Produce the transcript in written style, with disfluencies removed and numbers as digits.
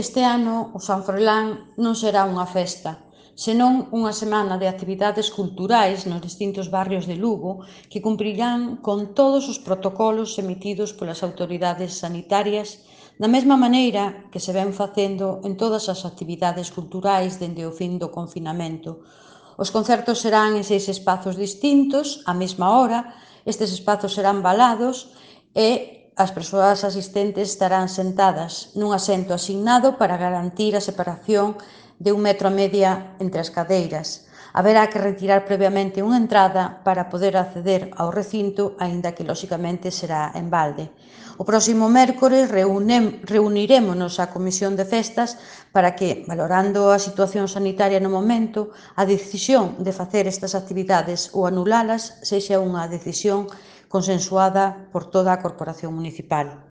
Este ano o San Froilán non será unha festa, senón unha semana de actividades culturais nos distintos barrios de Lugo que cumprirán con todos os protocolos emitidos polas autoridades sanitarias da mesma maneira que se ven facendo en todas as actividades culturais dende o fin do confinamento. Os concertos serán en 6 espazos distintos, á mesma hora, estes espazos serán valados e as persoas asistentes estarán sentadas nun asento asignado para garantir a separación de 1,5 metros entre as cadeiras. Haberá que retirar previamente unha entrada para poder acceder ao recinto, aínda que, loxicamente, será en balde. O próximo mércores reunirémonos á Comisión de Festas para que, valorando a situación sanitaria no momento, a decisión de facer estas actividades ou anulalas sexa unha decisión consensuada por toda a corporación municipal.